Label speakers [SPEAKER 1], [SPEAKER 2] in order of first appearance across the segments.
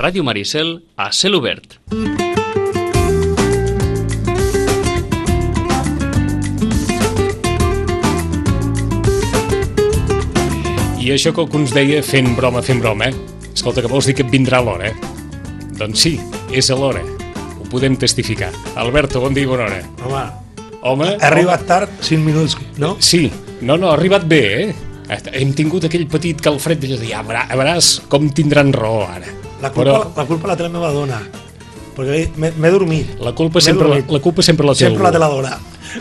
[SPEAKER 1] Ràdio Maricel a cel obert.
[SPEAKER 2] I això que alguns deia fent broma, Escolta, que vols dir que et vindrà l'hora? Doncs sí, és a l'hora. Ho podem testificar. Alberto, bon dia i bona hora. Home,
[SPEAKER 3] ha arribat tard, 5 minuts, no?
[SPEAKER 2] Sí, no, ha arribat bé, Hem tingut aquell petit calfred de dir, ja veuràs com tindran raó ara.
[SPEAKER 3] La culpa la té la meva dona, perquè m'he dormit.
[SPEAKER 2] La culpa sempre la té
[SPEAKER 3] sempre la té la dona.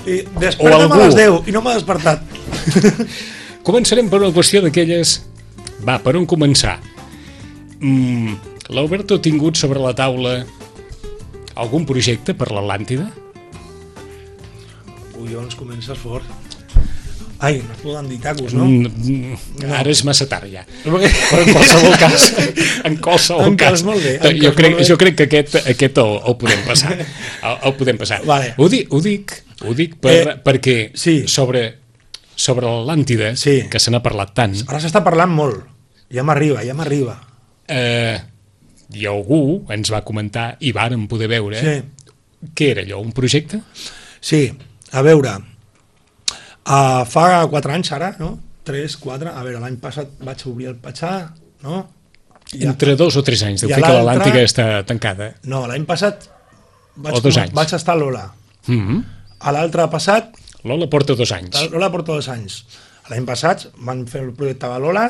[SPEAKER 3] I desperta'm a les 10 i no m'ha despertat.
[SPEAKER 2] Començarem per una qüestió d'aquelles... Va, per on començar? L'Alberto ha tingut sobre la taula algun projecte per l'Atlàntida?
[SPEAKER 3] Collons, comences fort. Ai, no es poden dir tacos, no?
[SPEAKER 2] Ara és massa tard ja. Però en qualsevol cas,
[SPEAKER 3] molt bé,
[SPEAKER 2] jo crec que aquest el podem passar. El podem passar.
[SPEAKER 3] Vale.
[SPEAKER 2] Ho dic perquè sobre l'Atlàntida, que se n'ha parlat tant...
[SPEAKER 3] Ara s'està parlant molt. Ja m'arriba.
[SPEAKER 2] I algú ens va comentar, i vàrem poder veure, què era allò, un projecte?
[SPEAKER 3] Sí, a veure... fa 4 anys ara, no? 3, 4, a veure, l'any passat vaig obrir el Patxà, no?
[SPEAKER 2] Entre 2 o 3 anys, deu fer que l'Atlàntica està tancada.
[SPEAKER 3] No, l'any passat vaig estar a l'Ola. A l'altre passat...
[SPEAKER 2] L'Ola porta 2 anys.
[SPEAKER 3] L'Ola porta 2 anys. L'any passat van fer el projecte de l'Ola,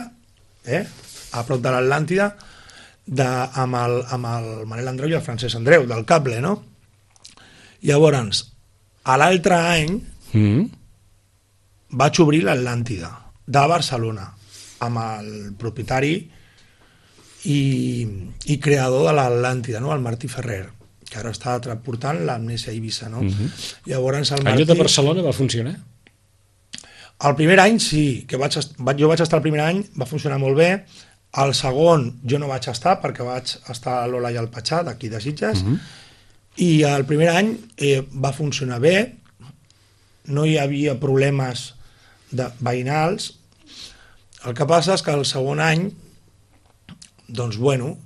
[SPEAKER 3] a prop de l'Atlàntida, amb el Manel Andreu i el Francesc Andreu, del cable, no? Llavors, a l'altre any... vaig obrir l'Atlàntida de Barcelona amb el propietari i creador de l'Atlàntida, no? El Martí Ferrer, que ara està transportant l'Amnèsia Eivissa, no? Llavors el Martí...
[SPEAKER 2] Allò de Barcelona va funcionar?
[SPEAKER 3] El primer any sí, jo vaig estar el primer any, va funcionar molt bé. El segon jo no vaig estar perquè vaig estar a l'Ola i al Patxà, d'aquí de Sitges, i el primer any va funcionar bé, no hi havia problemes veïnals. El que passa és que el segon any, doncs bueno,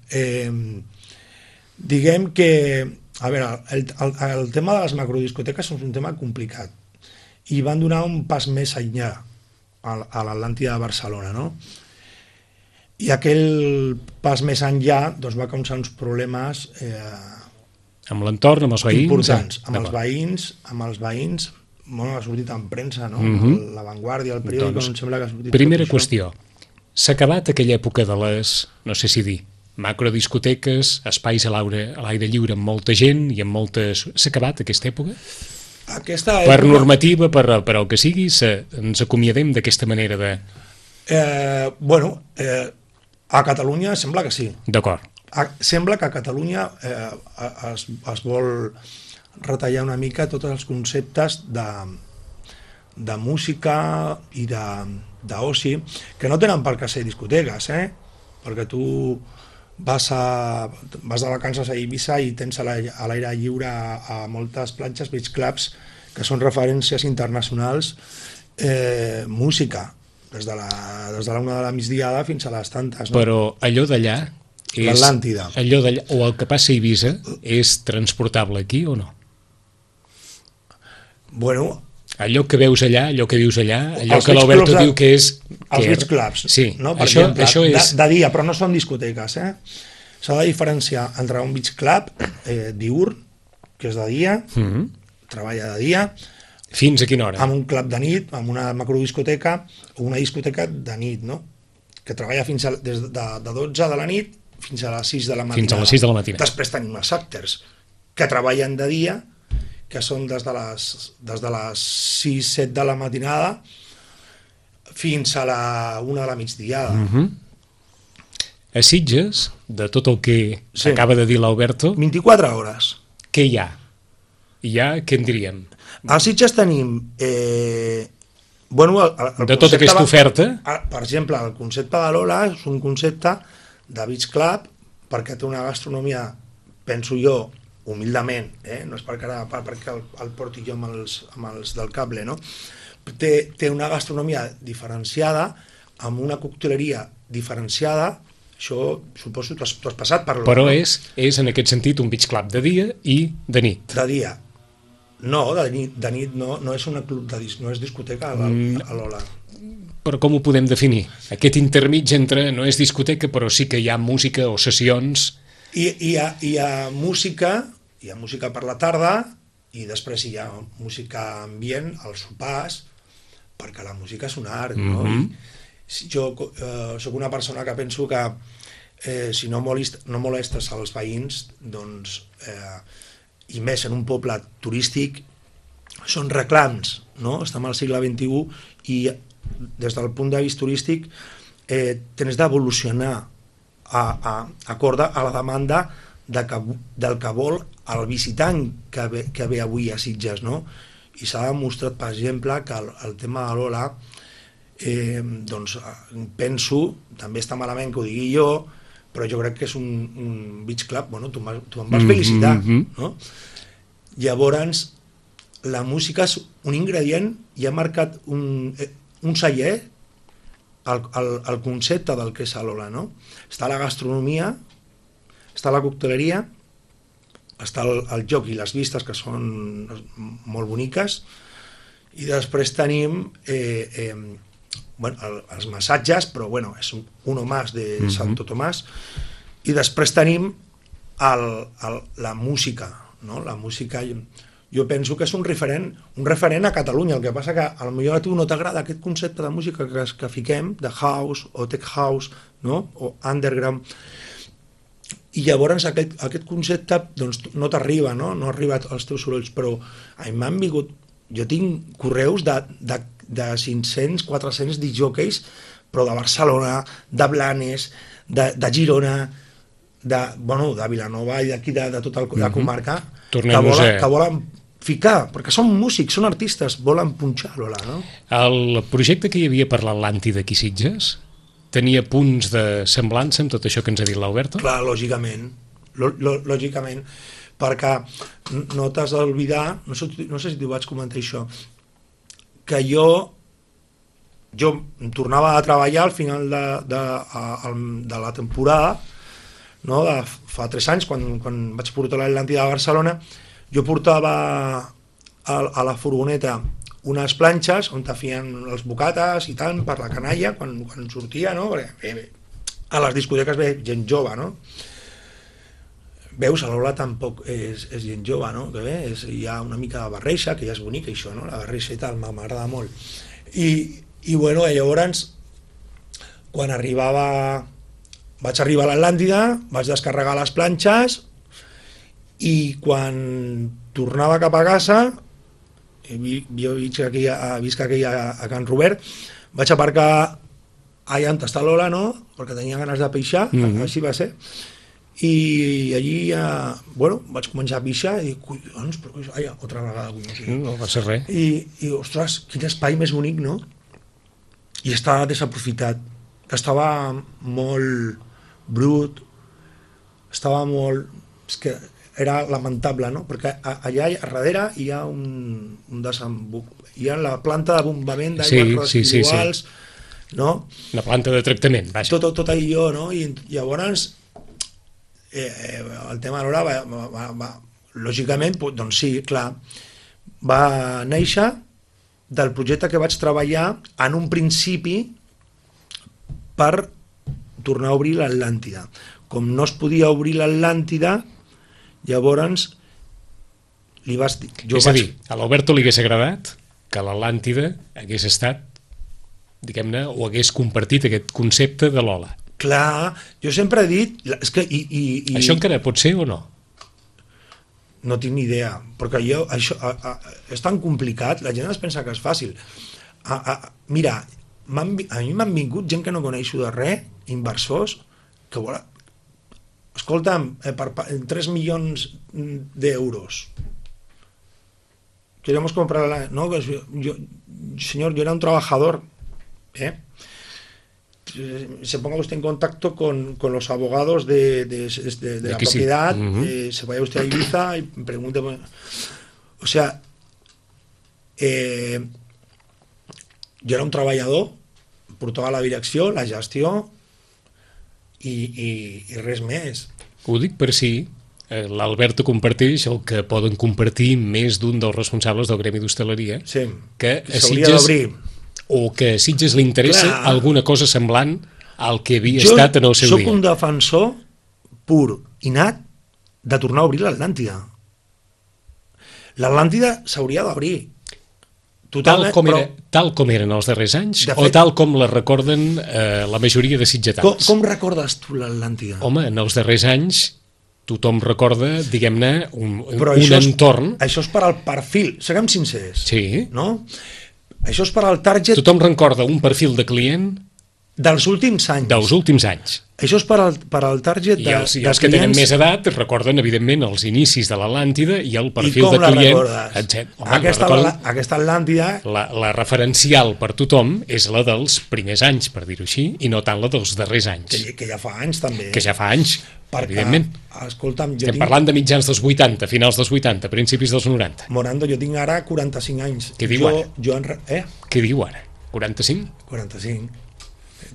[SPEAKER 3] diguem que, a veure, el tema de les macrodiscoteques és un tema complicat i van donar un pas més enllà a l'Atlàntida de Barcelona, no? I aquell pas més enllà doncs, va causar uns problemes
[SPEAKER 2] amb l'entorn, amb els veïns?
[SPEAKER 3] Importants, amb els veïns, bueno, ha sortit en premsa, no? La Vanguardia, el periòdico, doncs, em sembla que ha sortit...
[SPEAKER 2] Primera qüestió, s'ha acabat aquella època de les, no sé si dir, macrodiscoteques, espais a l'aire lliure amb molta gent i amb moltes... S'ha acabat aquesta època? Per normativa, per el que sigui, ens acomiadem d'aquesta manera de...
[SPEAKER 3] Bueno, a Catalunya sembla que sí.
[SPEAKER 2] D'acord.
[SPEAKER 3] Sembla que a Catalunya es vol retallar una mica tots els conceptes de música i d'oci, que no tenen per què ser discoteques, perquè tu vas de vacances a Eivissa i tens a l'aire lliure a moltes platges, beach clubs, que són referències internacionals, música, des de la 1 de la migdiada fins a les tantes. No?
[SPEAKER 2] Però allò d'allà,
[SPEAKER 3] l'Atlàntida,
[SPEAKER 2] o el que passa a Eivissa, és transportable aquí o no?
[SPEAKER 3] Bueno...
[SPEAKER 2] Allò que veus allà, allò que vius allà, allò que l'Alberto diu que és...
[SPEAKER 3] Els beach clubs,
[SPEAKER 2] sí,
[SPEAKER 3] no? Per exemple, de dia, però no són discoteques. S'ha de diferenciar entre un beach club diürn, que és de dia, treballa de dia...
[SPEAKER 2] Fins a quina hora?
[SPEAKER 3] Amb un club de nit, amb una macrodiscoteca, o una discoteca de nit, no? Que treballa des de 12 de la nit fins a les 6 de la matinada.
[SPEAKER 2] Fins a les 6 de la matinada.
[SPEAKER 3] Després tenim els actors, que treballen de dia, que són des de les 6-7 de la matinada fins a la 1 de la migdiada.
[SPEAKER 2] A Sitges, de tot el que acaba de dir l'Alberto...
[SPEAKER 3] 24 hores.
[SPEAKER 2] Què hi ha? Què en diríem?
[SPEAKER 3] A Sitges tenim... Bueno,
[SPEAKER 2] de tota aquesta oferta?
[SPEAKER 3] Per exemple, el concepte de l'Ola és un concepte de beach club perquè té una gastronomia, penso jo, humildament, no és perquè el porti jo amb els del cable, no? Té una gastronomia diferenciada, amb una cocteleria diferenciada, Això, suposo, tu has passat per l'Ola.
[SPEAKER 2] Però és en aquest sentit un beach club de dia i de nit.
[SPEAKER 3] De dia. No, de nit no és una club no és discoteca a l'Ola.
[SPEAKER 2] Però com ho podem definir? Aquest intermig entre no és discoteca, però sí que hi ha música o sessions.
[SPEAKER 3] Hi ha música per la tarda i després hi ha música ambient als sopars, perquè la música és un art, no? Jo sóc una persona que penso que si no molestes als veïns, doncs, i més en un poble turístic, són reclams, no? Estem al segle XXI i des del punt de vista turístic tens d'evolucionar acorde a la demanda del que vol el visitant que ve avui a Sitges, no? I s'ha demostrat, per exemple, que el tema de l'Ola, doncs penso, també està malament que ho digui jo, però jo crec que és un beach club, bueno, tu em vas felicitar, no? Llavors, la música és un ingredient i ha marcat un celler el concepte del que és l'Ola, no? Està la gastronomia, està la cocteleria, està el joc i les vistes, que són molt boniques, i després tenim els massatges, però és uno más de Santo Tomás, i després tenim la música, no? La música, jo penso que és un referent a Catalunya. El que passa que potser a tu no t'agrada aquest concepte de música que fiquem, de house o tech house, no? O underground, i llavors aquest concepte doncs, no t'arriba, no arriba als teus sorolls, però a mi m'han vingut, jo tinc correus de 500, 400 discjòqueis, però de Barcelona, de Blanes, de Girona, de Vilanova i d'aquí de tota la comarca, que volen ficar, perquè són músics, són artistes, volen punxar l'Ola, no?
[SPEAKER 2] El projecte que hi havia per l'Atlàntida aquí a Sitges tenia punts de semblança amb tot això que ens ha dit l'Alberto?
[SPEAKER 3] Clar, lògicament, perquè no t'has d'oblidar, no sé si t'ho vaig comentar això, que jo tornava a treballar al final de la temporada, no? Fa 3 anys, quan vaig portar l'Atlàntida a Barcelona, jo portava a la furgoneta unes planxes on te fien els bocates i tant per la canalla quan sortia, no? Perquè a les discoteques ve gent jove, no? Veus, a l'Ola tampoc és gent jove, no? Que bé, hi ha una mica de barreja, que ja és bonica això, no? La barreja i tal, m'agrada molt. I llavors, quan vaig arribar a l'Atlàntida, vaig descarregar les planxes i quan tornava cap a casa, jo visc aquí a Can Robert, vaig aparcar allà on està l'Ola, no? Perquè tenia ganes de pixar, així va ser, i allí vaig començar a pixar i dic, collons, però altra vegada
[SPEAKER 2] no va ser res,
[SPEAKER 3] i ostres, quin espai més bonic, no? I estava desaprofitat, que estava molt brut, estava molt... és que era lamentable, no? Perquè allà darrere hi ha hi ha la planta de bombament d'aigües residuals, no?
[SPEAKER 2] La planta de tractament, vaja.
[SPEAKER 3] Tot allò, no? I llavors el tema de l'Ola lògicament, doncs sí, clar, va néixer del projecte que vaig treballar en un principi per tornar a obrir l'Atlàntida. Com no es podia obrir l'Atlàntida, llavors li vas dir...
[SPEAKER 2] És a dir, a l'Alberto li hagués agradat que l'Atlàntida hagués estat, diguem-ne, o hagués compartit aquest concepte de l'Ola.
[SPEAKER 3] Clar, jo sempre he dit... És que,
[SPEAKER 2] això encara pot ser o no?
[SPEAKER 3] No tinc ni idea, perquè això és tan complicat, la gent es pensa que és fàcil. Mira, a mi m'han vingut gent que no coneixo de res, inversors, que volen... Escolta'm, per 3 milions d'euros. Queremos comprar... No, señor, yo era un trabajador, se ponga usted en contacto con los abogados de la propiedad, se vaya usted a Ibiza y pregunte... O sea, jo era un treballador, portava la direcció, la gestió, i res més.
[SPEAKER 2] Ho dic per si l'Alberto comparteix el que poden compartir més d'un dels responsables del Gremi d'Hostaleria,
[SPEAKER 3] Sí,
[SPEAKER 2] que a
[SPEAKER 3] s'hauria
[SPEAKER 2] Sitges,
[SPEAKER 3] d'obrir.
[SPEAKER 2] o que a Sitges li interessa
[SPEAKER 3] Clar.
[SPEAKER 2] alguna cosa semblant al que havia estat en el seu
[SPEAKER 3] Jo
[SPEAKER 2] dia.
[SPEAKER 3] soc un defensor pur i nat de tornar a obrir l'Atlàntida. L'Atlàntida s'hauria d'obrir.
[SPEAKER 2] Tal com eren els darrers anys,
[SPEAKER 3] De
[SPEAKER 2] o
[SPEAKER 3] fet-
[SPEAKER 2] tal com la recorden la majoria de sitgetans?
[SPEAKER 3] Com recordes tu l'Atlàntida?
[SPEAKER 2] Home, en els darrers anys tothom recorda, diguem-ne, un
[SPEAKER 3] això
[SPEAKER 2] entorn.
[SPEAKER 3] Això és per al perfil, siguem sincers.
[SPEAKER 2] Sí.
[SPEAKER 3] No? Això és per al target
[SPEAKER 2] Tothom recorda un perfil de client
[SPEAKER 3] dels últims anys.
[SPEAKER 2] dels últims anys.
[SPEAKER 3] Això és per al target
[SPEAKER 2] I els que tenen més edat recorden, evidentment, els inicis de l'Atlàntida i el perfil de client.
[SPEAKER 3] Aquesta Atlàntida...
[SPEAKER 2] La referencial per tothom és la dels primers anys, per dir-ho així, i no tant la dels darrers anys.
[SPEAKER 3] Que ja fa anys, també.
[SPEAKER 2] Que ja fa anys, evidentment.
[SPEAKER 3] Escolta'm,
[SPEAKER 2] Estem parlant de mitjans dels 80, finals dels 80, principis dels 90.
[SPEAKER 3] Morando, jo tinc ara 45 anys.
[SPEAKER 2] Què diu ara? Què diu ara? 45?
[SPEAKER 3] 45.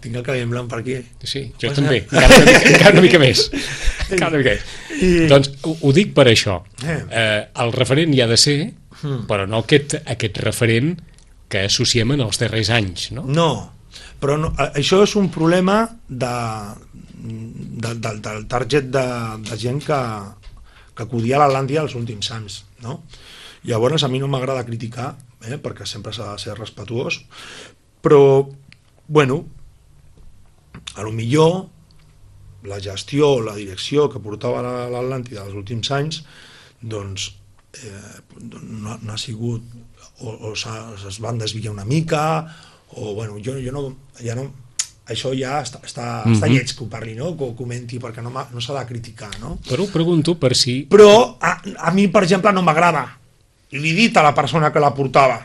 [SPEAKER 3] Tinc el cabell blanc per aquí.
[SPEAKER 2] Sí, jo també. Encara una mica més. Doncs ho dic per això. El referent hi ha de ser, però no aquest referent que associem en els darrers anys, no?
[SPEAKER 3] No, però això és un problema del target de gent que acudia a l'Atlàntida els últims anys, no? Llavors a mi no m'agrada criticar, perquè sempre s'ha de ser respetuós, però, bueno, a lo millor la gestió, la direcció que portava l'Atlàntida els últims anys, doncs no ha sigut, o es van desviar una mica, o bueno, jo no, ja no, això ja està lleig que ho parli, no? Que ho comenti, perquè no s'ha de criticar, no?
[SPEAKER 2] Però ho pregunto per si...
[SPEAKER 3] Però a mi, per exemple, no m'agrada, i li he dit a la persona que la portava,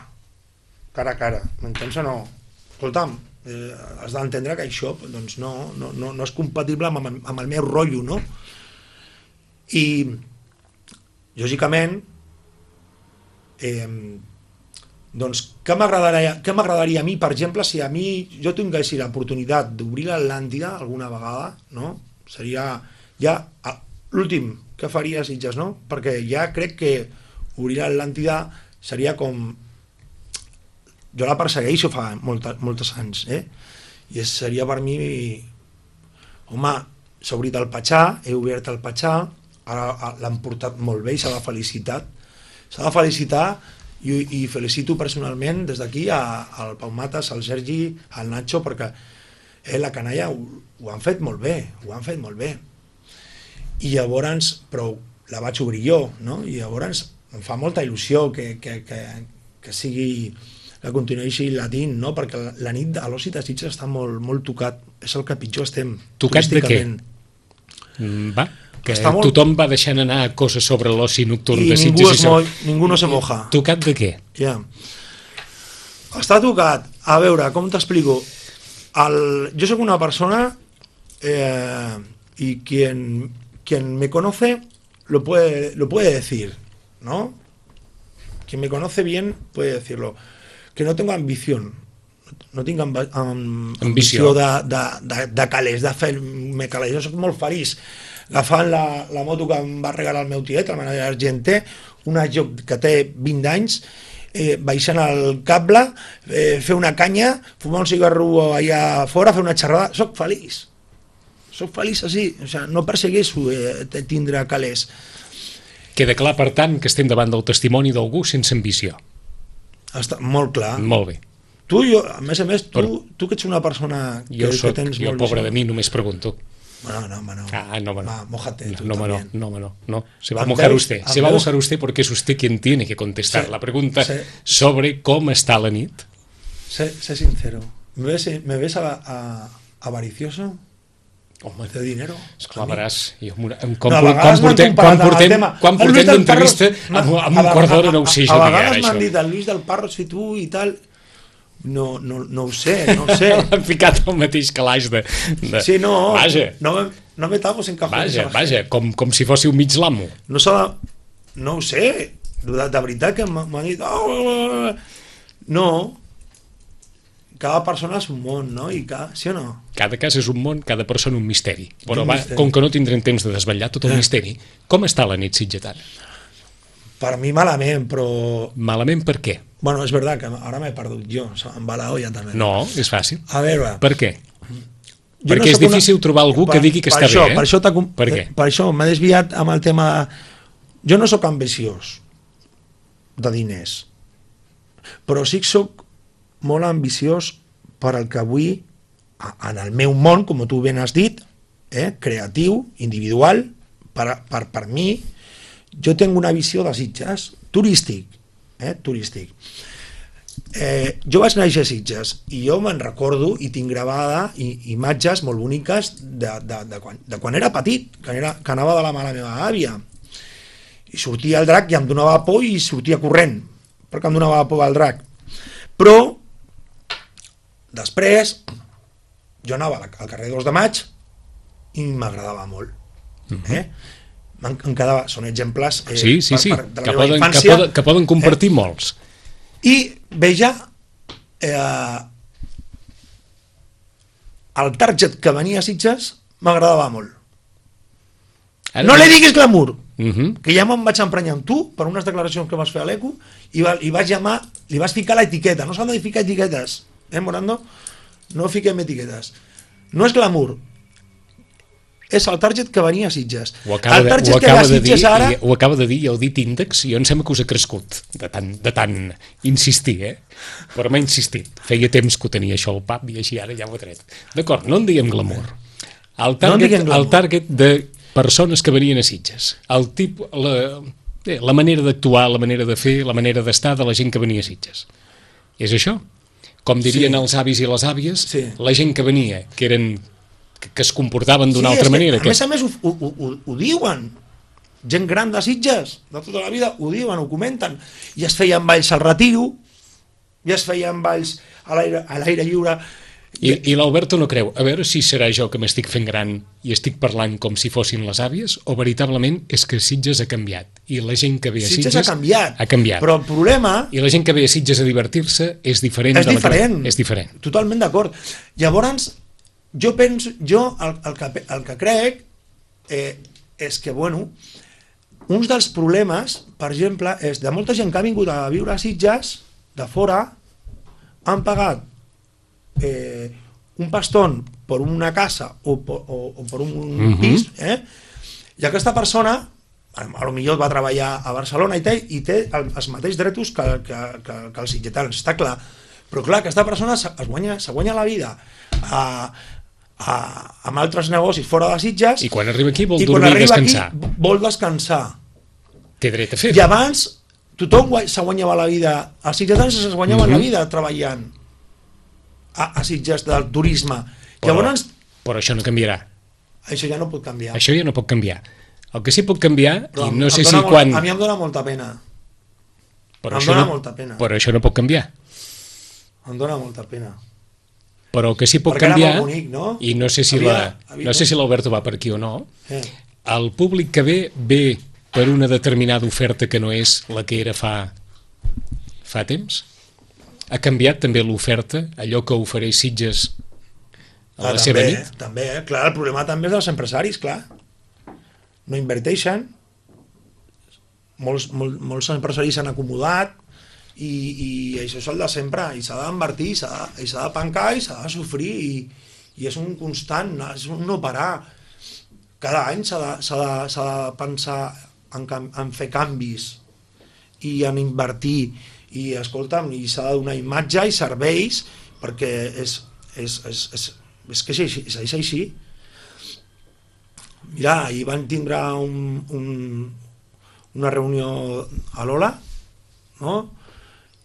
[SPEAKER 3] cara a cara, m'entens o no? Escolta'm, has d'entendre que això doncs no és compatible amb el meu rotllo, no? I lògicament doncs què m'agradaria a mi, per exemple, si a mi jo tingués l'oportunitat d'obrir l'Atlàntida alguna vegada, no? Seria ja l'últim que faria Sitges, no? Perquè ja crec que obrir l'Atlàntida seria com... Jo la persegueixo fa molts anys, i seria per mi... Home, s'ha obrit el Patxà, he obert el Patxà, ara l'han portat molt bé i s'ha de felicitar, i felicito personalment des d'aquí al Pau Matas, al Sergi, al Nacho, perquè la canalla ho han fet molt bé, I llavors, però la vaig obrir jo, no? I llavors em fa molta il·lusió que sigui... que continuï latint, no? Perquè la nit a l'oci de Sitges està molt tocat, és el que pitjor estem.
[SPEAKER 2] Tocat de què? Va, que tothom va deixant anar coses sobre l'oci nocturn de Sitges.
[SPEAKER 3] Ningú no se moja.
[SPEAKER 2] Tocat de què?
[SPEAKER 3] Ja. Està tocat. A veure, com t'explico? Jo soc una persona y quien me conoce lo puede decir, ¿no? Quien me conoce bien puede decirlo. Que no tengo ambición, no tinc ambició de calés, de fer-me calés. Jo soc molt feliç agafant la moto que em va regalar el meu tiet, el manager argenter, una joc que té 20 anys, baixant el cable, fer una canya, fumar un cigarro allà fora, fer una xerrada. Soc feliç així, o sigui, no persegueixo tindre calés.
[SPEAKER 2] Queda clar, per tant, que estem davant del testimoni d'algú sense ambició.
[SPEAKER 3] Està molt clar.
[SPEAKER 2] Molt bé.
[SPEAKER 3] Tu, a més, tu que ets una persona que tens molt...
[SPEAKER 2] Jo, pobre de mi, només pregunto.
[SPEAKER 3] No.
[SPEAKER 2] No.
[SPEAKER 3] Mójate tú
[SPEAKER 2] también. No. Se va a mojar usted. Se va a mojar usted porque es usted quien tiene que contestar la pregunta sobre cómo está la nit.
[SPEAKER 3] Sé sincero. ¿Me ves avaricioso?
[SPEAKER 2] Home,
[SPEAKER 3] de dinero.
[SPEAKER 2] Esclar, veràs, quan portem d'entrevista amb un quart d'hora no ho sé jo.
[SPEAKER 3] A vegades m'han dit el Lluís del Parro, si tu i tal... No ho sé.
[SPEAKER 2] Han ficat el mateix calaix de...
[SPEAKER 3] Sí, no.
[SPEAKER 2] Vaja.
[SPEAKER 3] No me tapos en cajones.
[SPEAKER 2] Vaja, com si fossi un mig l'amo.
[SPEAKER 3] No ho sé. De veritat que m'han dit... No. cada persona és un món, no? Sí o no?
[SPEAKER 2] Cada cas és un món, cada persona un misteri. Però
[SPEAKER 3] Un
[SPEAKER 2] va,
[SPEAKER 3] misteri.
[SPEAKER 2] com que no tindrem temps de desvetllar tot el misteri, com està la nit sitgetana?
[SPEAKER 3] Per mi malament, però...
[SPEAKER 2] Malament per què?
[SPEAKER 3] Bueno, és veritat que ara m'he perdut jo, em va la olla també.
[SPEAKER 2] No, és fàcil.
[SPEAKER 3] A veure...
[SPEAKER 2] Per què?
[SPEAKER 3] Jo
[SPEAKER 2] Perquè és difícil trobar algú que digui que està bé, eh?
[SPEAKER 3] Per què? Per això m'he desviat amb el tema... Jo no sóc ambiciós de diners, però sí que sóc molt ambiciós per al que vull en el meu món, com tu ben has dit, creatiu, individual, per mi. Jo tinc una visió de Sitges, turístic. Jo vaig néixer a Sitges i jo me'n recordo i tinc gravada imatges molt boniques de quan era petit, que anava de la mà de la meva àvia. I sortia el drac i em donava por i sortia corrent, perquè em donava por el drac. Però, després, jo anava al carrer 2 de Maig i m'agradava molt. Em quedava, són exemples
[SPEAKER 2] sí,
[SPEAKER 3] de la meva infància.
[SPEAKER 2] Que poden compartir molts.
[SPEAKER 3] I veia el target que venia a Sitges m'agradava molt. No li diguis glamour, que ja me'n vaig emprenyar amb tu per unes declaracions que vas fer a l'ECO i li vas ficar l'etiqueta. No s'han de ficar etiquetes, Morando? No fiquem etiquetes. No és glamour, és el target que venia a Sitges.
[SPEAKER 2] Ho acaba de dir i heu dit índex i jo em sembla que us ha crescut de tant insistir, però m'ha insistit. Feia temps que ho tenia això al pap i així ara ja ho he tret. D'acord, no en diguem glamour. El target de persones que venien a Sitges, la manera d'actuar, la manera de fer, la manera d'estar de la gent que venia a Sitges. És això? Com dirien els avis i les àvies, la gent que venia, que es comportaven d'una altra manera.
[SPEAKER 3] A més ho diuen. Gent gran de Sitges, de tota la vida, ho diuen, ho comenten. I es feien balls al Retiro, i es feien balls a l'aire lliure.
[SPEAKER 2] I l'Alberto no creu, a veure si serà jo que m'estic fent gran i estic parlant com si fossin les àvies, o veritablement és que Sitges ha canviat i la gent que ve a Sitges
[SPEAKER 3] ha canviat. Però el problema...
[SPEAKER 2] I la gent que ve a Sitges a divertir-se és diferent. És diferent.
[SPEAKER 3] Totalment d'acord. Llavors, jo el que crec és que, bueno, un dels problemes, per exemple, és de molta gent que ha vingut a viure a Sitges, de fora, han pagat un pastón per una casa o per un pis, i aquesta persona a lo millor va treballar a Barcelona i té els mateixos drets que els sitgetans, està clar, però clar, aquesta persona se guanya la vida amb altres negocis fora de Sitges
[SPEAKER 2] i quan arriba aquí vol dormir i descansar.
[SPEAKER 3] Vol descansar.
[SPEAKER 2] Té dret a fer-ho.
[SPEAKER 3] I abans tothom se guanyava la vida, els sitgetans es guanyaven la vida treballant a Sitges del turisme.
[SPEAKER 2] Però això no canviarà.
[SPEAKER 3] Això ja no pot canviar.
[SPEAKER 2] Això ja no pot canviar. El que sí pot canviar,
[SPEAKER 3] però
[SPEAKER 2] i no sé si quan...
[SPEAKER 3] A mi em dóna molta pena.
[SPEAKER 2] Però això no pot canviar.
[SPEAKER 3] Em dóna molta pena.
[SPEAKER 2] Però el que sí pot canviar, i no sé si l'Alberto va per aquí o no, el públic que ve per una determinada oferta que no és la que era fa temps. Ha canviat també l'oferta, allò que ofereix Sitges a la seva nit?
[SPEAKER 3] També, clar, el problema també és dels empresaris, clar. No inverteixen, molts empresaris s'han acomodat i això és el de sempre, i s'ha d'invertir, i s'ha de pencar, i s'ha de sofrir, i és un constant, és un no parar. Cada any s'ha de pensar en fer canvis i en invertir, i escolta'm, i s'ha de donar imatge i serveis, perquè és que és així. Mira, ahir van tindre una reunió a l'Ola, no?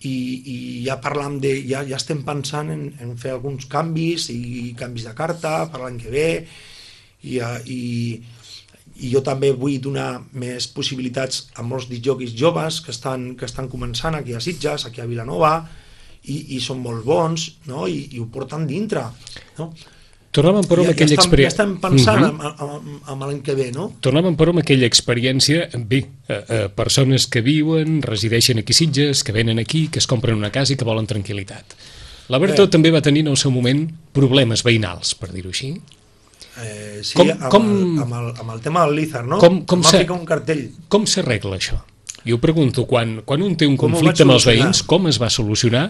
[SPEAKER 3] I ja parlam ja estem pensant en fer alguns canvis i canvis de carta per l'any que ve, i jo també vull donar més possibilitats a molts discjòqueis joves que estan començant aquí a Sitges, aquí a Vilanova, i són molt bons, no? I ho porten dintre, no?
[SPEAKER 2] Tornàvem però amb aquella experiència...
[SPEAKER 3] Ja estem pensant en l'any que ve, no?
[SPEAKER 2] Tornàvem però amb aquella experiència, persones que viuen, resideixen aquí a Sitges, que venen aquí, que es compren una casa i que volen tranquil·litat. L'Alberto també va tenir en el seu moment problemes veïnals, per dir-ho així.
[SPEAKER 3] Sí, amb el tema del Lizard, no?
[SPEAKER 2] Com
[SPEAKER 3] va ficar un cartell.
[SPEAKER 2] Com s'arregla això? Jo pregunto, quan un té un conflicte amb els veïns, com es va solucionar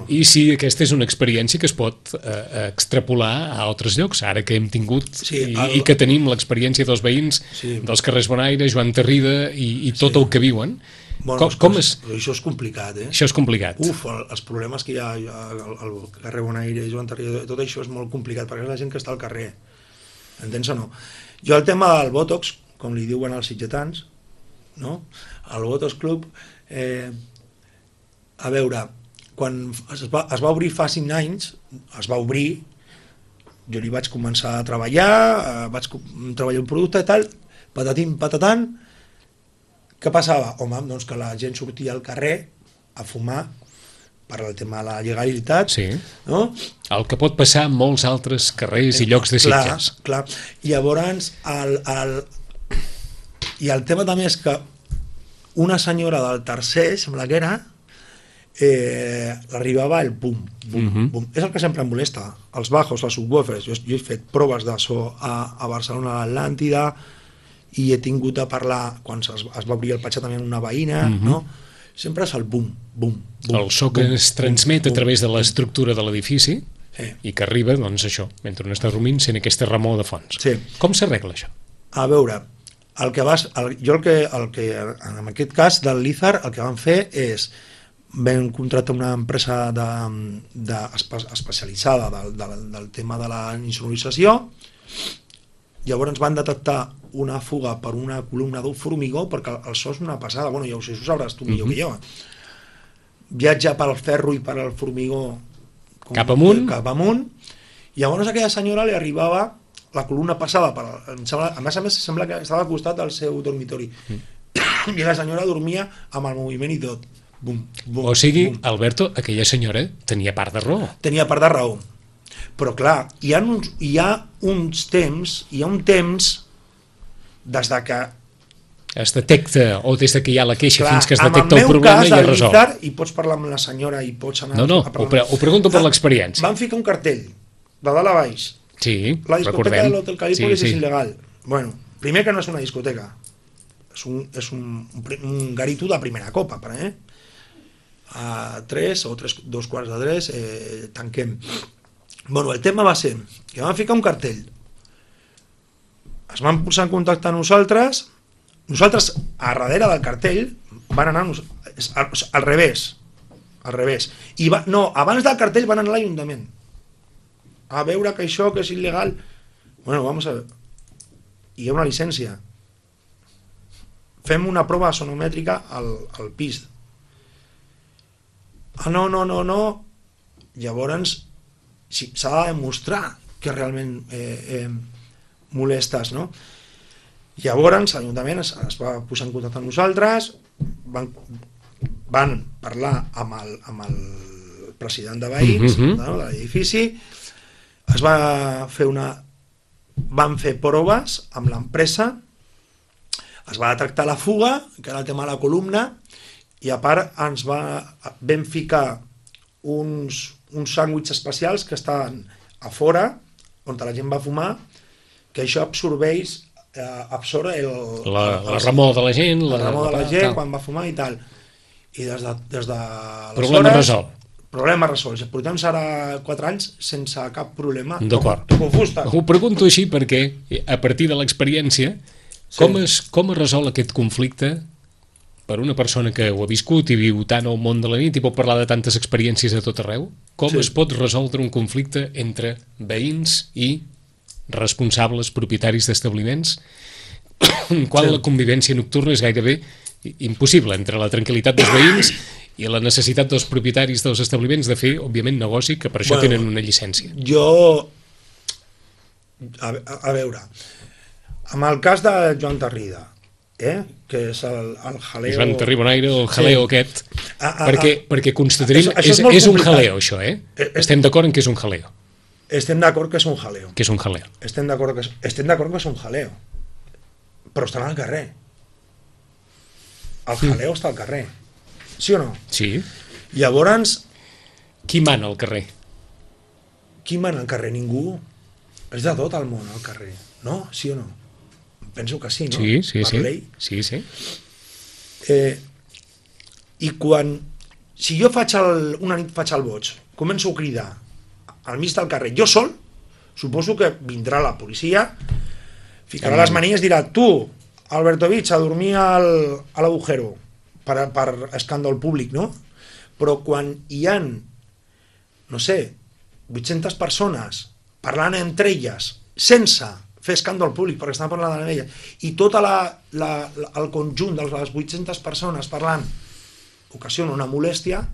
[SPEAKER 2] i si aquesta és una experiència que es pot extrapolar a altres llocs, ara que hem tingut i que tenim l'experiència dels veïns dels carrers Bonaire, Joan Tarrida i tot el que viuen.
[SPEAKER 3] Però això és complicat, eh?
[SPEAKER 2] Això és complicat.
[SPEAKER 3] Els problemes que hi ha al carrer Bonaire, Joan Tarrida, tot això és molt complicat, perquè és la gent que està al carrer. Entens o no? Jo el tema del Botox, com li diuen als sitgetans, no? El Botox Club, a veure, quan es va obrir fa 5 anys, es va obrir, jo li vaig començar a treballar, vaig treballar un producte i tal, patatim, patatant. Què passava? Home, doncs que la gent sortia al carrer a fumar per al tema de la legalitat, no?
[SPEAKER 2] El que pot passar en molts altres carrers i llocs de Sitges.
[SPEAKER 3] Clar. Llavors, i el tema també és que una senyora del tercer, sembla que era, l'arribava el bum, bum. És el que sempre em molesta, els bajos, els subwoofers. Jo he fet proves de so a Barcelona, a l'Atlàntida, i he tingut a parlar, quan es va obrir el petxat també amb una veïna, no? Sempre és el bum, bum, bum.
[SPEAKER 2] El so que es transmet a través de l'estructura de l'edifici i que arriba, doncs això, mentre un està dormint, sent aquesta remor de fons. Com s'arregla això?
[SPEAKER 3] A veure, en aquest cas del Lizard, el que van fer és vam contractar una empresa especialitzada del tema de la insonorització. Llavors van detectar una fuga per una columna d'un formigó, perquè el so és una passada, bueno, ja ho sé, ho sabràs tu millor que jo. Viatja pel ferro i per el formigó
[SPEAKER 2] cap amunt,
[SPEAKER 3] llavors a aquella senyora li arribava la columna passada, a més sembla que estava al costat del seu dormitori, i la senyora dormia amb el moviment i tot.
[SPEAKER 2] O sigui, Alberto, aquella senyora tenia part de raó.
[SPEAKER 3] Tenia part de raó. Però clar, hi ha un temps des de que
[SPEAKER 2] es detecta, o des que hi ha la queixa fins que es detecta el problema i es resol.
[SPEAKER 3] I pots parlar amb la senyora i pots anar...
[SPEAKER 2] No, ho pregunto per l'experiència.
[SPEAKER 3] Van ficar un cartell, de dalt a baix.
[SPEAKER 2] Sí,
[SPEAKER 3] la discoteca de l'Hotel Calípolis és il·legal. Bueno, primer que no és una discoteca, és un garito de primera copa, a 3 o 2:45 tanquem. Bueno, el tema va ser que van ficar un cartell, es van posar en contacte amb nosaltres, a darrere del cartell van anar al revés, i abans del cartell van anar a l'Ajuntament a veure que això que és il·legal. Bueno, vamos a ver, hi ha una llicència, fem una prova sonomètrica al pis. No, llavors s'ha de demostrar que realment molestes, no? Llavors l'Ajuntament es va posar en contacte amb nosaltres, van parlar amb el president de veïns de l'edifici, van fer proves amb l'empresa, es va detectar la fuga, que era el tema de la columna, i a part vam ficar uns sàndwichs especials que estaven a fora, on la gent va fumar, que això absorb
[SPEAKER 2] la remor de la gent,
[SPEAKER 3] quan va fumar i tal. I des de problema resolt. Portem ara 4 anys sense cap problema.
[SPEAKER 2] D'acord. Ho pregunto així perquè, a partir de l'experiència, com es resol aquest conflicte per una persona que ho ha viscut i viu tant al món de la nit i pot parlar de tantes experiències a tot arreu? Com es pot resoldre un conflicte entre veïns i responsables propietaris d'establiments quan la convivència nocturna és gairebé impossible entre la tranquil·litat dels veïns i la necessitat dels propietaris dels establiments de fer, òbviament, negoci, que per això tenen una llicència?
[SPEAKER 3] A veure, amb el cas de Joan Tarrida, que és el jaleo...
[SPEAKER 2] Joan Tarribonaire, el jaleo aquest, perquè constatarem, és un jaleo això, Estem d'acord en que és un jaleo.
[SPEAKER 3] Estem d'acord que és un jaleo.
[SPEAKER 2] Que és un jaleo.
[SPEAKER 3] Estem d'acord que és un jaleo. Però estan al carrer. El jaleo està al carrer. Sí o no?
[SPEAKER 2] Sí.
[SPEAKER 3] Llavors...
[SPEAKER 2] Qui mana al carrer?
[SPEAKER 3] qui mana al carrer? Ningú. És de tot el món al carrer, no? Sí o no? Penso que sí, no?
[SPEAKER 2] Sí.
[SPEAKER 3] Per llei.
[SPEAKER 2] Sí.
[SPEAKER 3] I quan... Si jo una nit faig el boig, començo a cridar al mig del carrer, jo sol, suposo que vindrà la policia, ficarà les manilles i dirà: tu, Albertovich, a dormir a l'agujero, per escàndol públic, no? Però quan hi han, no sé, 800 persones parlant entre elles, sense fer escàndol públic, perquè estan parlant amb elles, i tot el conjunt de les 800 persones parlant ocasiona una molèstia,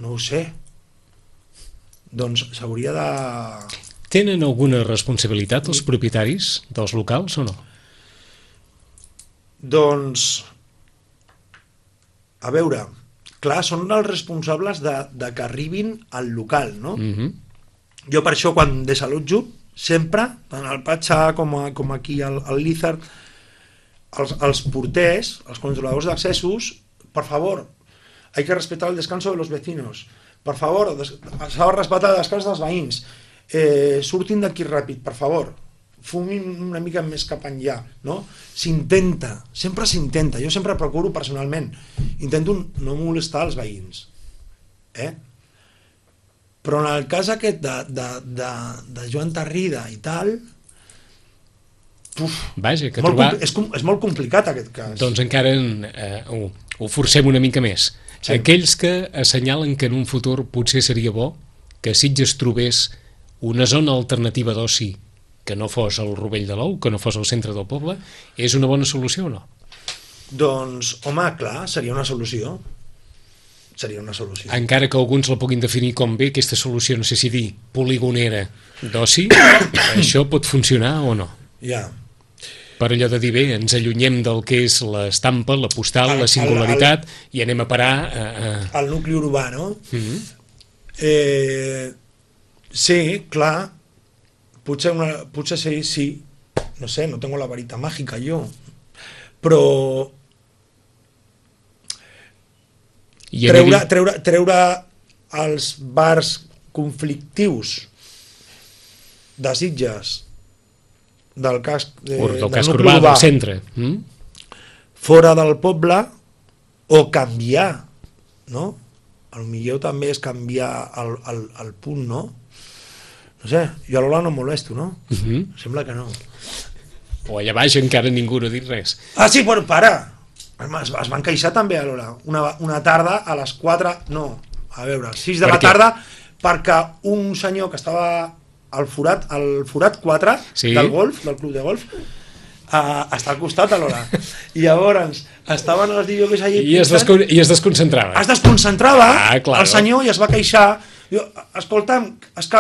[SPEAKER 3] no ho sé. Doncs s'hauria de...
[SPEAKER 2] Tenen alguna responsabilitat els propietaris dels locals o no?
[SPEAKER 3] Doncs, a veure, clar, són els responsables de que arribin al local, no? Jo per això, quan desalotjo, sempre, tant al Patxa com aquí al Lizard, els porters, els controladors d'accessos, por favor, hay que respetar el descanso de los vecinos, per favor, s'ha de respectar el descans dels veïns, surtin d'aquí ràpid, per favor, fumin una mica més cap enllà, no? S'intenta, sempre s'intenta, jo sempre procuro personalment, intento no molestar els veïns, però en el cas aquest de Joan Tarrida i tal,
[SPEAKER 2] vaja, que trobar...
[SPEAKER 3] és molt complicat aquest cas.
[SPEAKER 2] Doncs encara ho forcem una mica més. Sí. Aquells que assenyalen que en un futur potser seria bo que Sitges trobés una zona alternativa d'oci que no fos el Rovell de l'Ou, que no fos el centre del poble, és una bona solució o no?
[SPEAKER 3] Doncs, home, clar, seria una solució. Seria una solució.
[SPEAKER 2] Encara que alguns la puguin definir com bé, aquesta solució, no sé si dir poligonera d'oci, això pot funcionar o no?
[SPEAKER 3] Ja.
[SPEAKER 2] Per allò de dir, bé, ens allunyem del que és l'estampa, la postal, la singularitat, i anem a parar...
[SPEAKER 3] Al nucli urbà, no? Sí, clar, potser sí, no sé, no tengo la varita màgica jo, però treure els bars conflictius de Sitges del casc
[SPEAKER 2] urbà del centre
[SPEAKER 3] fora del poble, o canviar, no? Potser també és canviar el punt, no? No sé, jo a l'Ola no em molesto, no? Sembla que no.
[SPEAKER 2] O allà baix encara ningú no ha dit res.
[SPEAKER 3] Ah, sí, però para! Es van queixar també a l'Ola. Una tarda a les 4, no, a veure, 6 de la tarda, perquè un senyor que estava al forat 4 del golf, del club de golf, està al costat de l'Ola. I llavors estaven els DJs allà
[SPEAKER 2] i es desconcentrava.
[SPEAKER 3] Es desconcentrava el senyor i es va queixar. Jo, escolta'm, és que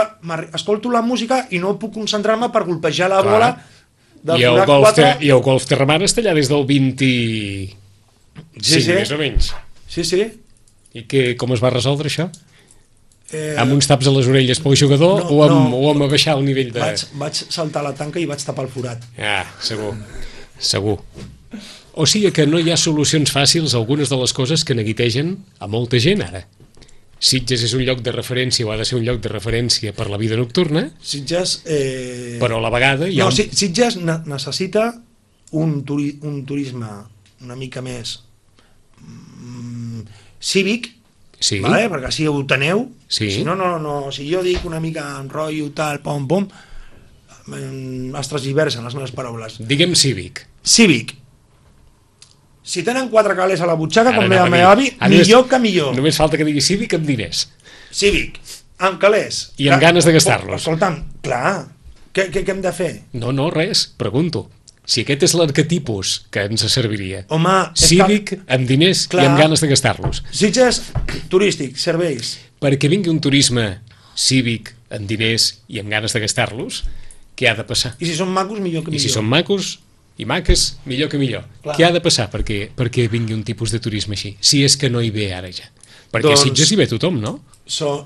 [SPEAKER 3] escolto la música i no puc concentrar-me per golpejar la bola del forat 4.
[SPEAKER 2] I el golf Terramar està allà des del 25, més o menys.
[SPEAKER 3] Sí.
[SPEAKER 2] I com es va resoldre això? Amb uns taps a les orelles pel jugador o amb baixar el nivell de...
[SPEAKER 3] Vaig saltar la tanca i vaig tapar el forat.
[SPEAKER 2] Segur. O sigui que no hi ha solucions fàcils a algunes de les coses que neguitegen a molta gent ara. Sitges és un lloc de referència, o ha de ser un lloc de referència per la vida nocturna,
[SPEAKER 3] Sitges,
[SPEAKER 2] però a la vegada hi ha...
[SPEAKER 3] Sitges necessita un turisme una mica més cívic, vale? Perquè així ho teneu. Si no, si jo dic una mica en rotllo tal, pom, es transversen les meves paraules.
[SPEAKER 2] Diguem cívic.
[SPEAKER 3] Si tenen 4 calés a la butxaca, com deia el meu avi, millor que millor.
[SPEAKER 2] Només falta que digui cívic amb diners.
[SPEAKER 3] Cívic, amb calés.
[SPEAKER 2] I amb ganes de gastar-los.
[SPEAKER 3] Escolta'm, clar, què hem de fer?
[SPEAKER 2] No, res, pregunto. Si aquest és l'arquetipus que ens serviria.
[SPEAKER 3] Home,
[SPEAKER 2] cívic, amb diners i amb ganes de gastar-los.
[SPEAKER 3] Sitges, turístic, serveis.
[SPEAKER 2] Perquè vingui un turisme cívic, amb diners i amb ganes de gastar-los, què ha de passar?
[SPEAKER 3] I si són macos, millor que millor.
[SPEAKER 2] I si són macos i maques, millor que millor. Clar. Què ha de passar perquè vingui un tipus de turisme així? Si és que no hi ve ara ja. Perquè a Sitges hi ve tothom, no?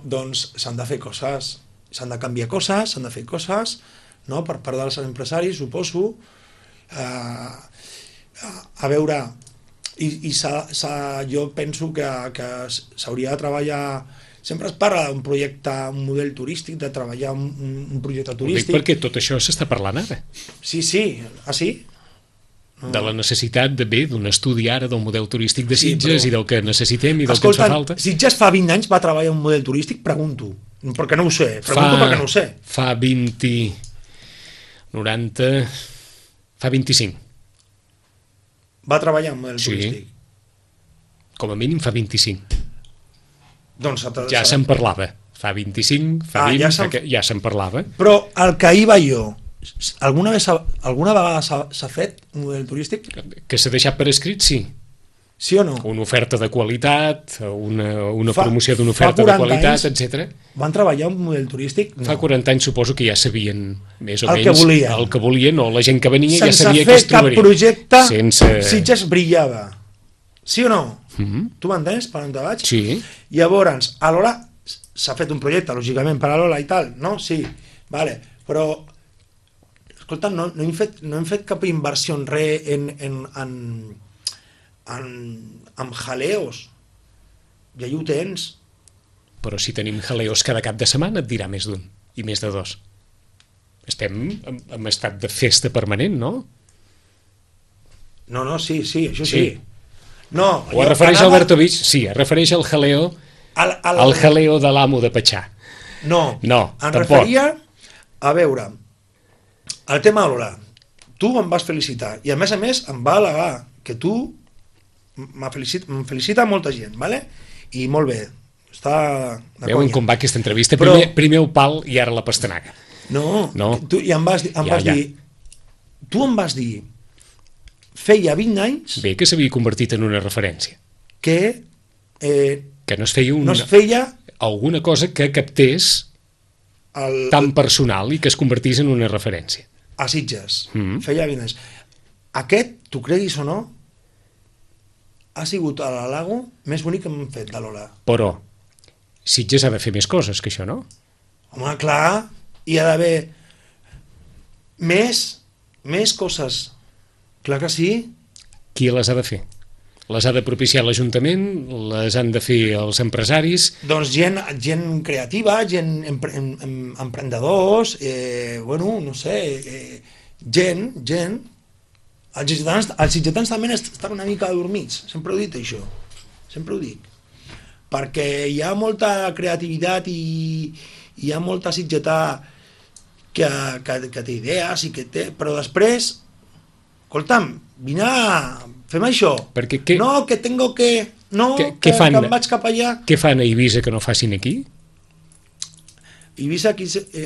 [SPEAKER 3] Doncs s'han de fer coses, s'han de canviar coses, s'han de fer coses, no? Per part dels empresaris, suposo. A veure, jo penso que s'hauria de treballar Sempre es parla d'un projecte, un model turístic, de treballar un projecte
[SPEAKER 2] Ho dic
[SPEAKER 3] turístic.
[SPEAKER 2] perquè tot això s'està parlant ara.
[SPEAKER 3] Sí, sí?
[SPEAKER 2] De la necessitat d'un estudi ara del model turístic de
[SPEAKER 3] Sí,
[SPEAKER 2] Sitges
[SPEAKER 3] però-
[SPEAKER 2] i del que necessitem i del
[SPEAKER 3] Escolta,
[SPEAKER 2] que ens fa falta.
[SPEAKER 3] Sitges fa 20 anys va treballar un model turístic? Pregunto. Perquè no ho sé. Pregunto perquè no ho sé.
[SPEAKER 2] Fa 20... 90... Fa 25.
[SPEAKER 3] Va treballar un model
[SPEAKER 2] Sí.
[SPEAKER 3] turístic.
[SPEAKER 2] Com a mínim fa 25.
[SPEAKER 3] Doncs
[SPEAKER 2] Ja se'n parlava. Fa 25, fa 20, ja se'n parlava.
[SPEAKER 3] Però el que hi va jo, alguna vegada s'ha fet un model turístic?
[SPEAKER 2] Que s'ha deixat per escrit, sí.
[SPEAKER 3] Sí o no?
[SPEAKER 2] Una oferta de qualitat, una promoció d'una
[SPEAKER 3] fa
[SPEAKER 2] oferta de
[SPEAKER 3] 40
[SPEAKER 2] qualitat,
[SPEAKER 3] anys
[SPEAKER 2] etc.
[SPEAKER 3] Van treballar un model turístic? No.
[SPEAKER 2] Fa 40 anys suposo que ja sabien més o
[SPEAKER 3] El
[SPEAKER 2] menys
[SPEAKER 3] que volien.
[SPEAKER 2] el que volien, o la gent que venia ja
[SPEAKER 3] Sense
[SPEAKER 2] sabia
[SPEAKER 3] fer
[SPEAKER 2] que es trobaria.
[SPEAKER 3] cap projecte,
[SPEAKER 2] Sense...
[SPEAKER 3] Sitges brillava. Sí o no?
[SPEAKER 2] Mhm.
[SPEAKER 3] Tu m'entens per on te vaig?
[SPEAKER 2] Sí.
[SPEAKER 3] Llavors, a l'hora s'ha fet un projecte, lògicament, per a l'Ola i tal, no? Sí, vale, però escolta, no hem fet cap inversió en res en jaleos. Ja ho tens.
[SPEAKER 2] Però si tenim jaleos cada cap de setmana et dirà més d'un i més de dos. Estem en estat de festa permanent, no?
[SPEAKER 3] No, sí, això
[SPEAKER 2] Sí.
[SPEAKER 3] sí. No,
[SPEAKER 2] O es refereix a Albertovich? Sí, es refereix al jaleo, al jaleo de l'amo de Patxà.
[SPEAKER 3] No,
[SPEAKER 2] No,
[SPEAKER 3] em
[SPEAKER 2] tampoc.
[SPEAKER 3] referia a veure el tema de l'Ola. Tu em vas felicitar i a més em va al·legar que tu em felicita molta gent, vale? I molt bé, està de
[SPEAKER 2] Veuen
[SPEAKER 3] conya.
[SPEAKER 2] com va aquesta entrevista?
[SPEAKER 3] Però-
[SPEAKER 2] Primer el pal i ara la pastanaga.
[SPEAKER 3] No,
[SPEAKER 2] No.
[SPEAKER 3] tu, i em vas dir tu em vas dir feia 20 anys
[SPEAKER 2] Bé, que s'havia convertit en una referència.
[SPEAKER 3] que
[SPEAKER 2] Que no es feia
[SPEAKER 3] no es feia
[SPEAKER 2] alguna cosa que captés tan personal i que es convertís en una referència.
[SPEAKER 3] a Sitges.
[SPEAKER 2] Mhm.
[SPEAKER 3] Feia 20 anys. Aquest, tu creguis o no, ha sigut a l'Alago més bonic que hem fet de l'Ola.
[SPEAKER 2] Però Sitges ha de fer més coses que això, no?
[SPEAKER 3] Home, clar, hi ha d'haver més coses. Clar que sí.
[SPEAKER 2] Qui les ha de fer? Les ha de propiciar l'Ajuntament? Les han de fer els empresaris?
[SPEAKER 3] Doncs gent creativa, gent emprendedors, bueno, no sé, gent. Els sitgetans també estan una mica adormits, sempre ho he dit això, sempre ho dic. Perquè hi ha molta creativitat i hi ha molta sitgetà que té idees i que té, però després, escolta'm, fem això.
[SPEAKER 2] Perquè
[SPEAKER 3] no, que tengo que... No,
[SPEAKER 2] Què
[SPEAKER 3] que
[SPEAKER 2] fan?
[SPEAKER 3] em vaig cap allà.
[SPEAKER 2] Què fan a Eivissa que no facin aquí?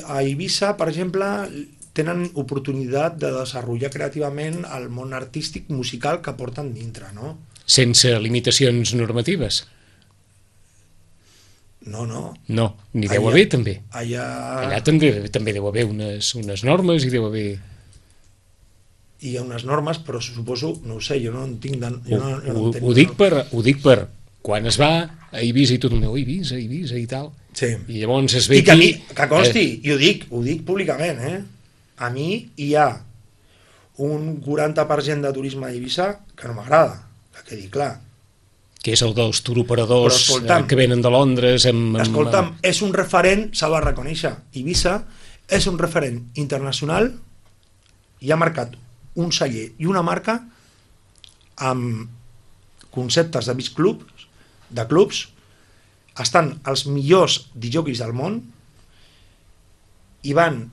[SPEAKER 3] A Eivissa, per exemple, tenen oportunitat de desenvolupar creativament el món artístic musical que porten dintre, no?
[SPEAKER 2] Sense limitacions normatives?
[SPEAKER 3] No.
[SPEAKER 2] No, n'hi deu haver també.
[SPEAKER 3] Allà
[SPEAKER 2] també deu haver unes normes i deu haver...
[SPEAKER 3] hi ha unes normes, però suposo, no ho sé, jo no en tinc...
[SPEAKER 2] Ho dic per quan es va a Eivissa i tot el meu Eivissa i tal,
[SPEAKER 3] Sí.
[SPEAKER 2] i llavors es ve
[SPEAKER 3] I que a mi,
[SPEAKER 2] aquí...
[SPEAKER 3] que consti, i ho dic públicament, a mi hi ha un 40% de turisme a Eivissa que no m'agrada, que quedi clar.
[SPEAKER 2] que és el dels turoperadors
[SPEAKER 3] Però, escolta'm,
[SPEAKER 2] que venen de Londres
[SPEAKER 3] Escolta'm, és un referent, s'ha de reconèixer, Eivissa és un referent internacional i ha marcat un celler i una marca amb conceptes de beach clubs, estan els millors DJs del món i van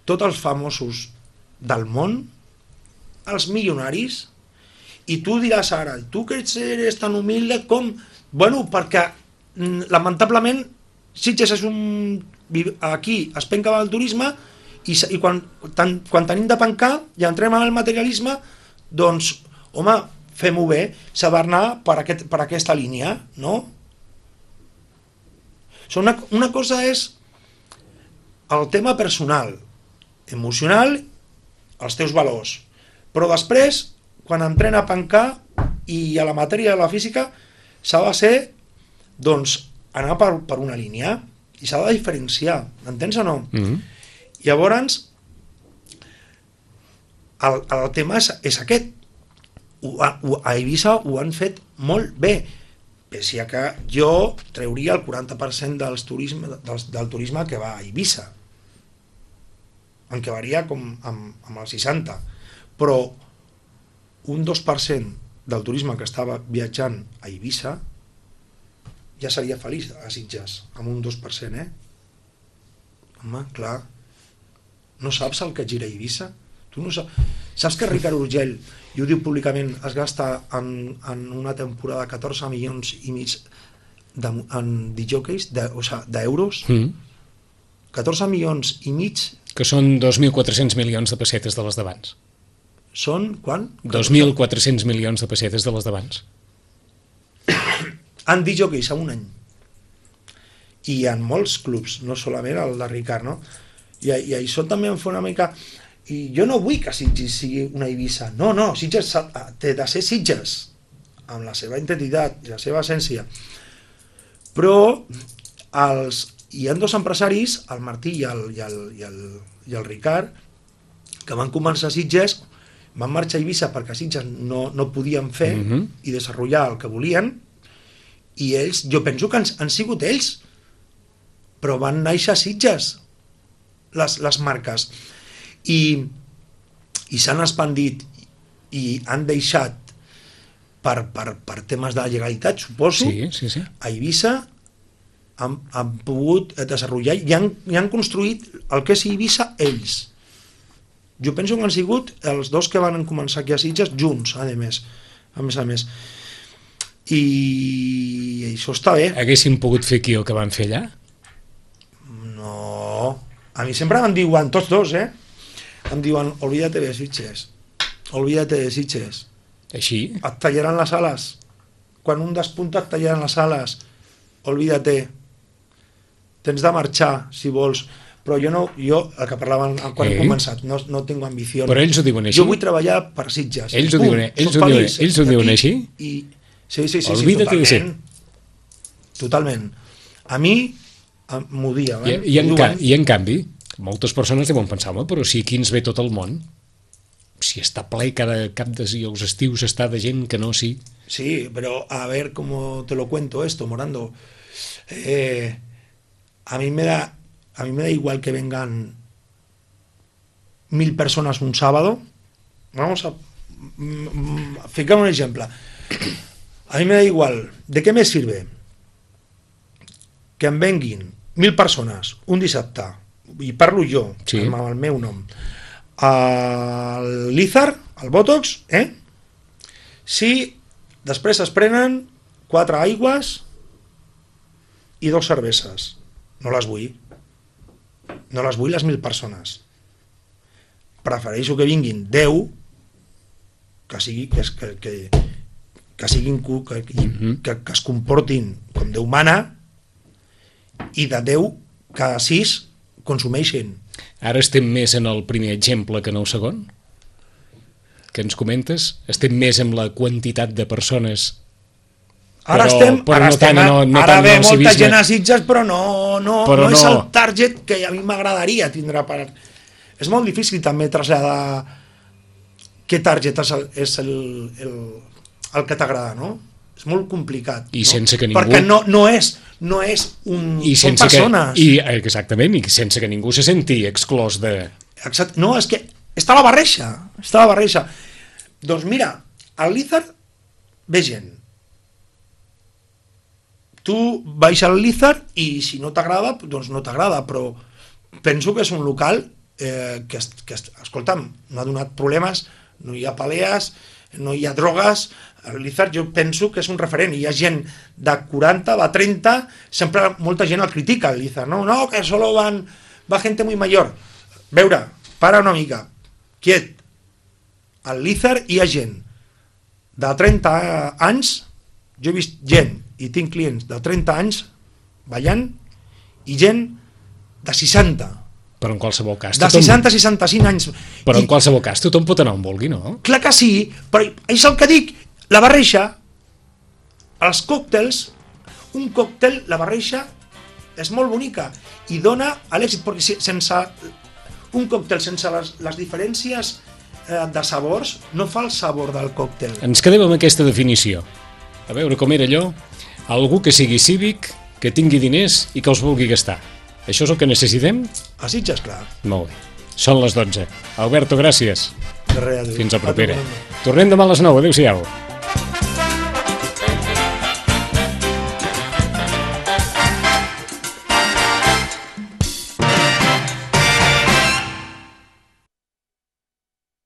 [SPEAKER 3] tots els famosos del món, els milionaris, i tu diràs ara, tu que eres tan humilde com... Bueno, perquè lamentablement Sitges és un... Aquí es penca el turisme i quan tenim de pencar i entrem al materialisme, doncs, home, fem-ho bé, s'ha d'anar per aquesta línia, no? Una cosa és el tema personal, emocional, els teus valors, però després, quan entrem a pencar i a la matèria de la física, s'ha de ser, doncs, anar per una línia i s'ha de diferenciar, m'entens o no? Llavors, el tema és aquest. A Eivissa ho han fet molt bé, pese a que jo treuria el 40% del turisme que va a Eivissa, en què varia com amb el 60%, però un 2% del turisme que estava viatjant a Eivissa ja seria feliç a Sitges, amb un 2%, Home, clar, no saps el que gira a Eivissa? Tu no saps que Ricard Urgell, i ho diu públicament, es gasta en una temporada 14 milions i mig en DJs, d'euros? 14 milions i mig...
[SPEAKER 2] Que són 2.400 milions de pessetes de les d'abans.
[SPEAKER 3] Són, quan?
[SPEAKER 2] 2.400 milions de pessetes de les d'abans.
[SPEAKER 3] En DJs a un any. I en molts clubs, no solament el de Ricard, no? I això també em fa una mica... I jo no vull que Sitges sigui una Eivissa. No, Sitges té de ser Sitges, amb la seva identitat i la seva essència. Però hi ha dos empresaris, el Martí i el Ricard, que van començar a Sitges, van marxar a Eivissa perquè a Sitges no podien fer i desenvolupar el que volien, i ells, jo penso que han sigut ells, però van néixer a Sitges les marques i s'han expandit i han deixat per temes de legalitat, suposo,
[SPEAKER 2] sí.
[SPEAKER 3] A Eivissa han pogut desenvolupar i han construït el que és Eivissa ells. Jo penso que han sigut els dos que van començar aquí a Sitges junts, a més a més. I això està bé.
[SPEAKER 2] Haguessin pogut fer aquí el que van fer allà?
[SPEAKER 3] No, a mi sempre em diuen, tots dos, em diuen, olvídate de Sitges,
[SPEAKER 2] Així?
[SPEAKER 3] et tallaran les ales, quan un despunta et tallaran les ales, olvídate, tens de marxar si vols, però jo el que parlaven quan he començat, no tinc ambició.
[SPEAKER 2] Però ells ho diuen així?
[SPEAKER 3] Jo vull treballar per Sitges.
[SPEAKER 2] Ells ho diuen així?
[SPEAKER 3] Sí,
[SPEAKER 2] olvídate de ser.
[SPEAKER 3] Totalment. A mi m'ho diuen.
[SPEAKER 2] I en canvi, moltes persones deuen pensar, però si aquí ens ve tot el món, si està ple cada cap i els estius està de gent que no, sí.
[SPEAKER 3] Sí, pero a ver cómo te lo cuento esto, Morando. A mí me da igual que vengan 1000 personas un sábado. Vamos a fijar un ejemplo. A mí me da igual. ¿De qué me sirve que em venguin 1000 persones un dissabte, i parlo jo, sí, amb el meu nom, al Lizard, al Botox, si després es prenen 4 aigües i 2 cerveses? No les vull. No les vull les 1000 persones. Prefereixo que vinguin 10, que es comportin com Déu mana, i de 10 que 6 consumeixen.
[SPEAKER 2] Ara estem més en el primer exemple que en el segon? Que ens comentes? Estem més en la quantitat de persones,
[SPEAKER 3] ara ve molta gent a Sitges, però no és el target que a mi m'agradaria tindre. És molt difícil també traslladar què target és el que t'agrada, no? És molt complicat,
[SPEAKER 2] I sense que ningú...
[SPEAKER 3] perquè no és són persones.
[SPEAKER 2] Exactament, i sense que ningú se senti exclòs de...
[SPEAKER 3] Exacte. No, és que està la barreja. Doncs mira, al Lizard ve gent. Tu vais al Lizard i si no t'agrada, doncs no t'agrada, però penso que és un local que escolta'm, no ha donat problemes, no hi ha palees, no hi ha drogues. El Lizard jo penso que és un referent, hi ha gent de 40, va 30, sempre molta gent el critica, el Lizard, no, que solo va gente muy mayor. Veure, para una mica, quiet. Al Lizard hi ha gent de 30 anys, jo he vist gent i tinc clients de 30 anys ballant, i gent de 60.
[SPEAKER 2] Però en qualsevol cas...
[SPEAKER 3] De 60 a 65 anys.
[SPEAKER 2] Però en qualsevol cas tothom pot anar on vulgui, no?
[SPEAKER 3] Clar que sí, però és el que dic, la barreja, els còctels, un còctel, la barreja és molt bonica i dona a l'èxit, perquè sense un còctel, sense les diferències de sabors, no fa el sabor del còctel.
[SPEAKER 2] Ens quedem amb aquesta definició. A veure com era allò. Algú que sigui cívic, que tingui diners i que els vulgui gastar. Això és el que necessitem?
[SPEAKER 3] A Sitges, clar.
[SPEAKER 2] Molt bé. Són les 12. Alberto, gràcies.
[SPEAKER 3] De res, adéu.
[SPEAKER 2] Fins a propera. Tornem demà a les 9. Adéu-siau.